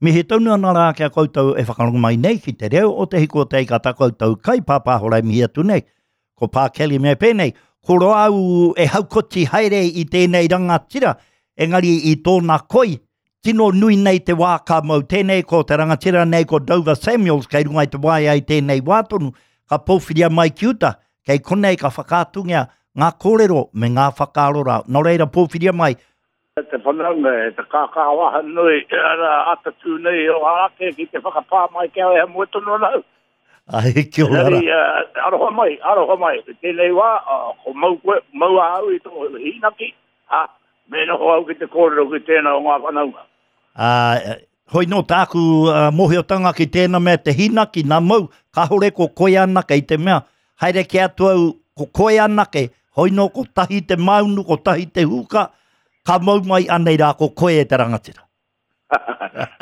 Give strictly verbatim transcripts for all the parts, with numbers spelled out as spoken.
Mihi tonu ana rā ki a koutou e whakarongo mai nei ki te reo o Te Hiku o Te Ika tā koutou kaipāpāho e mihi atu nei. Ko Pā Kelly me pēnei, ko roa au e haukoti haere i tēnei rangatira, engari i tōna koi, tino nui nei te wā ka mau tēnei, ko te rangatira nei ko Dover Samuels, kei runga i te waea i tēnei wā tonu, ka pōwhiria mai ki uta, kei konei ka whakaatungia ngā kōrero me ngā whakaaro rā. Nō reira pōwhiria mai. Te whanaunga e te kākāwaha nui, ara atatū nei o ake ki te whakapā mai kia e moe tonu ana au. Ai, kia ora. Engari, uh, aroha mai, aroha mai. Tēnei wā, uh, ko mau koe, mau ahau i tō hīnaki, ha, me noho au ki te kōrero ki tēnā o ngā whanaunga. Uh, hoi nō tāku uh, mōhiotanga ki tēnā mea te hīnaki, nā mau, kāhore ko koe anake i te mea, haere ki atu au, ko koe anake, hoi nō ko tahi te maunu, ko tahi te huka, ka mau mai anei rā ko koe e te rangatira.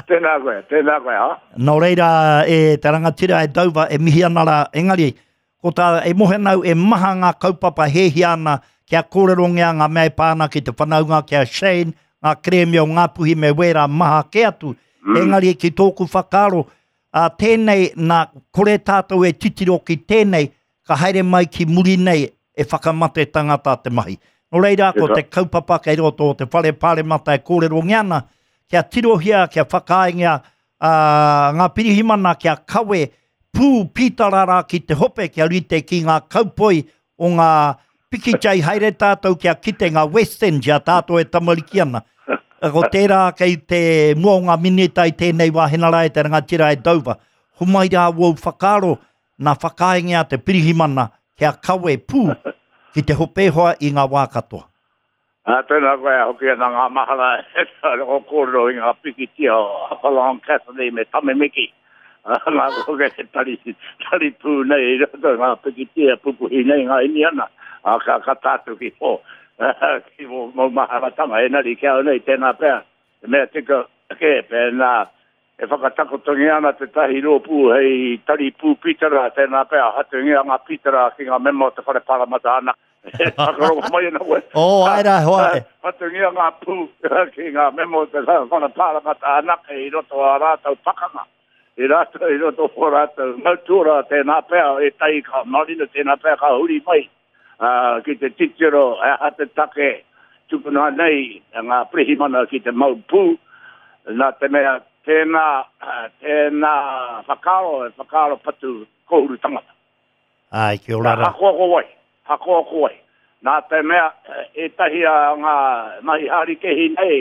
Tēnā koe, tēnā koe, ha? Nō reira e te rangatira e Dover e mihi ana rā, engari, ko tā e mohe nau e maha ngā kaupapa hēhia ana kia kōrerongia ngā mea e pā ana ki te whanaunga ki a Shane, ngā kerēme o Ngāpuhi me wērā maha kē atu. Mm. Engari ki tōku whakaaro, a tēnei nā kore tātou e titiro ki tēnei, ka haere mai ki muri nei e whakamate tangata te mahi. Nō reira, ko te kaupapa kei roto o te whare pāremata e kōrerongia ana, kia tirohia, kia whakaaengia uh, ngā pirihimana, kia kawe pū pītarara ki te hope, kia rite ki ngā kaupoi o ngā pikitia i haere tātou, kia kite ngā West End, ia tātou e tamariki ana. Ko tērā kei te mua o ngā minita i tēnei wā henara e te rangatira e Dover. Homai rā wau whakaaro, nā whakaaengia te pirihimana, kia kawe pū ki te hopehoa i ngā wā katoa. Ā, tēnā koe, hoki ana ngā mahara e o kōrero i ngā pikitia o Hopalong Cassidy me Tame Miki. Ngā koke te tari, tari pū nei i roto ngā pikitia pupuhi nei ngā iniana. Ā, ka, ka tātou ki o, ki o mau maharatanga, enari kia au nei tēnā pea. Te mea tika ke, pēnā e whakatakotongia ana te tahi rōpū hei tari pū pītara, tēnā pea, hatungia ngā pītara ki ngā mema o te whare pāremata ana. Whakarongo mai ana koe. Oh, ai rā, hoa. Hatungia ngā pū ki ngā mema o te whare pāremata anake i roto a rātou pakanga. I rātou, i roto o rātou mautura, tēnā pea, e tai ka marina, tēnā pea ka huri mai. Uh, ki te titiro, e aha te take tukuna nei ngā pirihimana ki te mau pū, nā te mea tēnā, tēnā whakaaro, e whakaaro patu kohuru tangata. Ai, kia ora rā. Hakoa ko wai, hakoa ko wai. Nā te mea, ētahi a ngā mahi harikehi nei,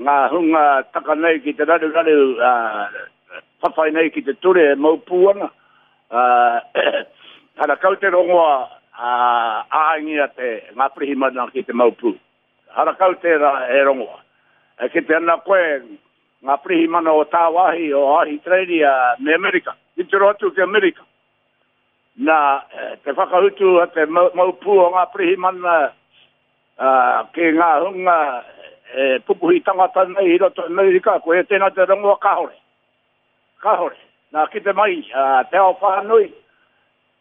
ngā hunga taka nei ki te raruraru, uh, whawhai nei ki te ture e mau pū ana, uh, harakau te rongoa uh, āingia te ngā pirihimana ki te mau pū. Harakau tērā e rongoa. E ki te ana koe, ngā pirihimana o tāwāhi, o Ahitereiria me Amerika. Titiro atu ki Amerika. Nā, te whakahutu a te mau, mau pū o ngā pirihimana uh, ki ngā hunga e pupuhi tangata nei i roto Amerika, ko e tēnā te rongoa kāhore. Kāhore. Nā, ki te mai, uh, te ao whānui,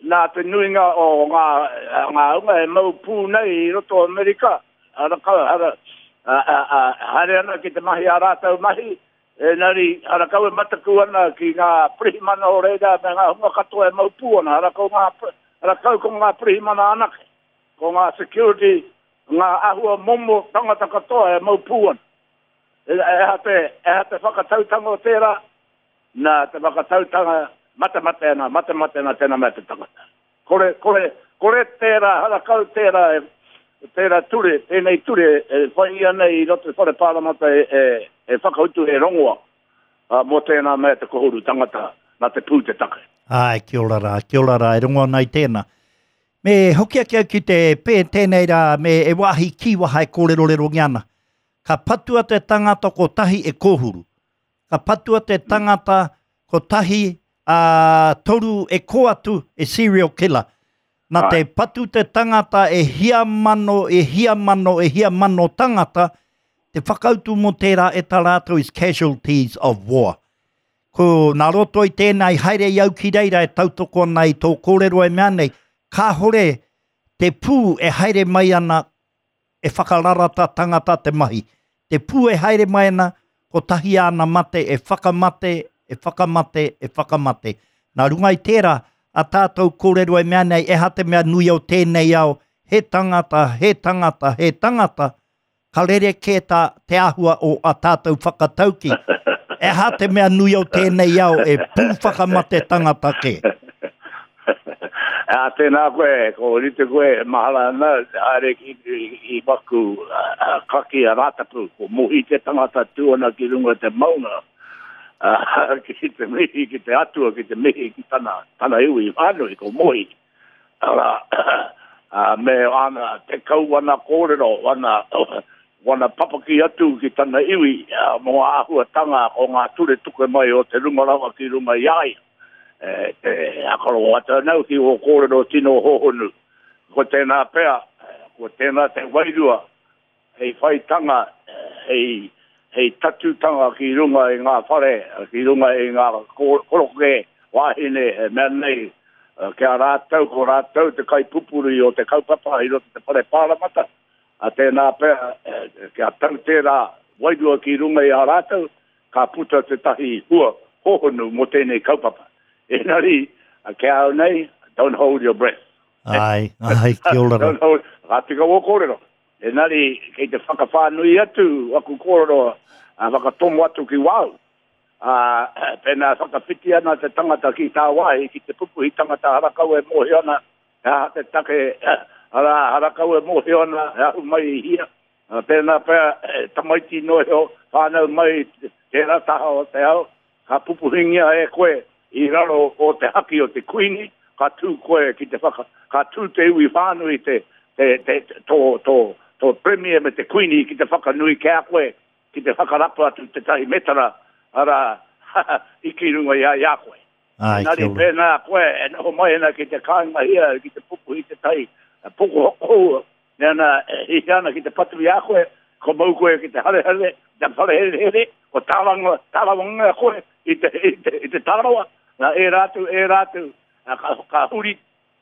nā te nuinga o ngā, ngā hunga e mau pū nei i roto Amerika, harakau, hara, uh, uh, uh, haere ana ki te mahi a rātou mahi, engari harakau e mataku ana ki ngā pirihimana o reira me ngā hunga katoa e mau pū ana, harakau, ngā, harakau ko ngā pirihimana anake, ko ngā security, ngā ahua momo tangata katoa e mau pū ana. E, e aha te, e aha te whakatautanga o tērā, nā te whakatautanga matemate ana, matemate ana tēnā mea te tangata. Kore, kore, kore tērā, harakau tērā, e, tērā ture, tēnei ture, e whai ia nei i roto i whare pāremata e, e, e whakautu e rongoa uh, mō tēnā mea te kohuru tangata, nā te pū te take. Ai, kia ora rā, kia ora rā, e rongo ana i tēnā. Me hoki ake au ki te pē tēnei rā, me e wāhi kīwaha e kōrerorerongia ana. Ka patua te tangata kotahi e kōhuru. Ka patua te tangata kotahi a toru e kō atu e serial killer. Nā te patu te tangata e hia mano, e hia mano, e hia mano tangata, te whakautu mō tērā e tā rātou is casualties of war. Ko nā roto i tēnā i haere i au ki reira e tautoko ana i tō kōrero e mea nei, kāhore te pū e haere mai ana e whakararata tangata te mahi. Te pū e haere mai ana, Kotahi āna mate e whakamate, e whakamate, e whakamate. Nā runga i tērā, a tātou kōrero e mea nei, eha te mea nui o tēnei ao, he tangata, he tangata, he tangata, ka rere kē tā te āhua o a tātou whakatauki. Eha te mea nui o tēnei ao e pū whakamate tangata kē. A tēnā koe, ko rite koe, mahala ana, haere ki i waku kaki a Rātapu, ko Mohi te tangata tū ana ki runga te maunga, ki te mihi, ki te atua, ki te mihi, ki tana, tana iwi whānui, ko Mohi. Ara, me ana, te kau ana kōrero, ana, wana papaki atu ki tana iwi, mō āhuatanga o ngā ture tuke mai o te runga rawa ki runga i a ia. E, te akaro atu anau ki o kōrero tino hohonu. Ko tēnā pea, ko tēnā te wairua, hei whaitanga, hei, hei tatutanga ki runga i ngā whare, ki runga i ngā koroke wāhine e mea nei, kia rātou, ko rātou te kaipupuri o te kaupapa i roto te whare pāramata. A tēnā pea, kia tau tērā wairua ki runga i a rātou, ka puta te tahi hua hohonu mō tēnei kaupapa. Engari, kia au nei, don't hold your breath. Ai, ai, kia ora. Don't hold, ka tika wō kōrero. Engari, kei te whakawhānui atu, aku kōrero, a whakatomo atu ki wau. A, pēnā whakawhiti ana te tangata ki tā wāhi, ki te pupuhi tangata harakau e mōhio ana, he aha te take, ara harakau e mōhio ana, he ahu mai i hia. Pēnā pea, tamaiti noho, whānau mai tērā taha o te ao, ka pupuhingia e koe, i raro o te haki o te kuini, ka tū koe ki te whaka, ka tū te iwi whānui te, te, te, tō, tō, tō premier me te kuini ki te whakanui kia koe, ki te whakarapa atu te tahi metara, ara, i ki runga i a ia koe. Ai, Engari pēnā koe, e noho mai ana ki te kāinga hia, ki te pupuhi te tahi, poko hoko, me ana, e hihi ana ki te patu i a koe, ko mau koe ki te harehare, te wharehere, ko tāranga, tārawanga koe i te, i te, i te tārawa, nā e rātou, e rātou, ka, ka huri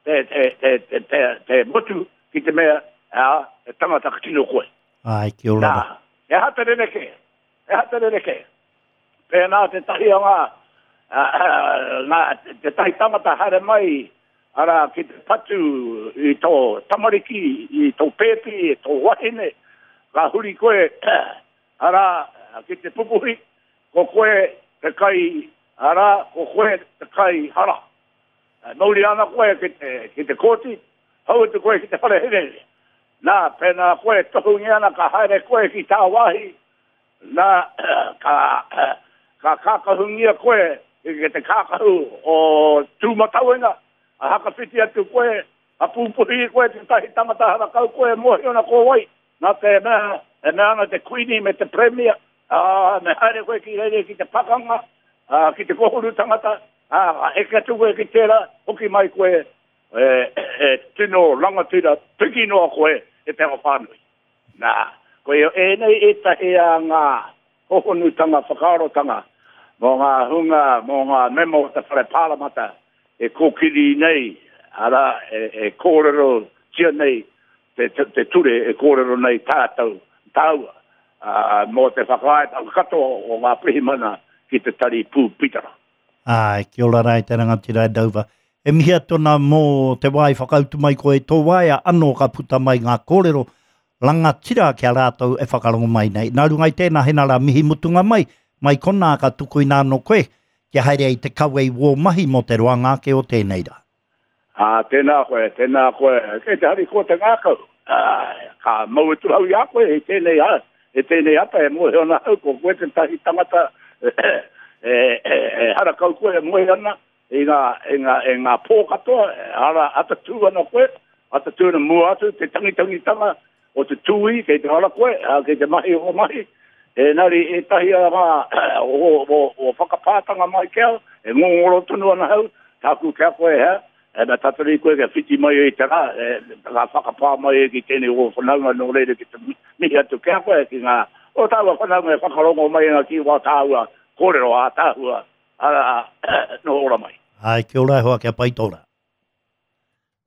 te, te, te, te, te, te motu ki te mea, a, e tangata tino koe. Ai, kia ora. Nā, e aha te rerekē, e aha te rerekē. Pēnā te tahi o ngā, ngā, te tahi tangata haere mai, ara ki te patu i tō tamariki, i tō pēpi, i tō wahine, ka huri koe, ara ki te pupuhi, ko koe te kai, ara, ko koe te kai hara. Mauri ana koe ki te, ki te kōti, hau atu koe ki te whare herehere. Nā, pēnā koe tohungi ana ka haere koe ki tā wāhi, nā, ka, ka kākahungia koe ki te kākahu o Tūmatauenga, a hakawhiti atu koe, a pūpuhi koe te tahi tangata harakau koe, mōhio ana ko wai. Nā te mea, e mea ana te kuini me te premier, a, me haere koe ki reire ki te pakanga, a, ki te kohuru tangata, a, eke atu koe ki tērā, hoki mai koe, e, e, tino rangatira, piki noa koe e te ao whānui. Nā, koe ēnei ētahi a ngā hohonutanga, whakaarotanga, mō ngā hunga, mō ngā mema o te whare pāramata, e kōkiri nei, ara, e, e kōrero tia nei, te, te, te ture e kōrero nei tātou, tāua, a, mō te whakaaetanga katoa o ngā pirihimana ki te tari pū pitara. Ai, kia ora rā e te rangatira e Dover. E mihi atu ana mō te wā i whakautu mai koe tō waea, anō ka puta mai ngā kōrero rangatira kia rātou e whakarongo mai nei. Nā runga i tēnā hena rā mihi mutunga mai, mai konā ka tukuina anō koe, kia haere ai te kawe i wō mahi mō te roanga ake o tēnei rā. Ā, tēnā koe, tēnā koe, kei te hari koe te ngākau. Ā, ka mau atu hau i a koe, i tēnei, a, i tēnei ata e mōhio ana hau, ko koe te tahi tangata, e, e, e, e harakau koe e moe ana, i ngā, i ngā, i ngā pō katoa, ara atatū ana koe, atatū ana mua atu, te tangitangitanga o te tūi, kei te hara koe, kei te mahi o mahi, engari ētahi a ngā o, o, o whakapātanga mai kia, e ngongoro tonu ana hau, tāku kia koe hea, e me tatari koe kia whiti mai e te rā, e, ngā whakapā mai e ki tēnei o whanaunga nō reira ki te mihi atu kia koe ki ngā, o tāua whanaunga e whakarongo mai ana ki wā tāua kōrero ā tāhua, ara, nō ora mai. Ai, kia ora e hoa, kia pai tōra.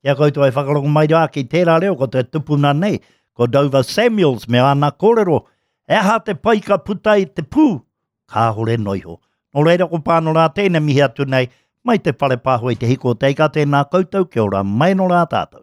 Kia koutou e whakarongo mai rā ki tērā reo, ko te tupuna nei, ko Dover Samuels me ana kōrero, e aha te pai ka puta i te pū, Kāhore noa iho. Nō reira ko Pānora tēnei mihi atu nei, mai te whare pāho i te hiko o te ika, tēnā koutou, kia ora mai nō rā tātou.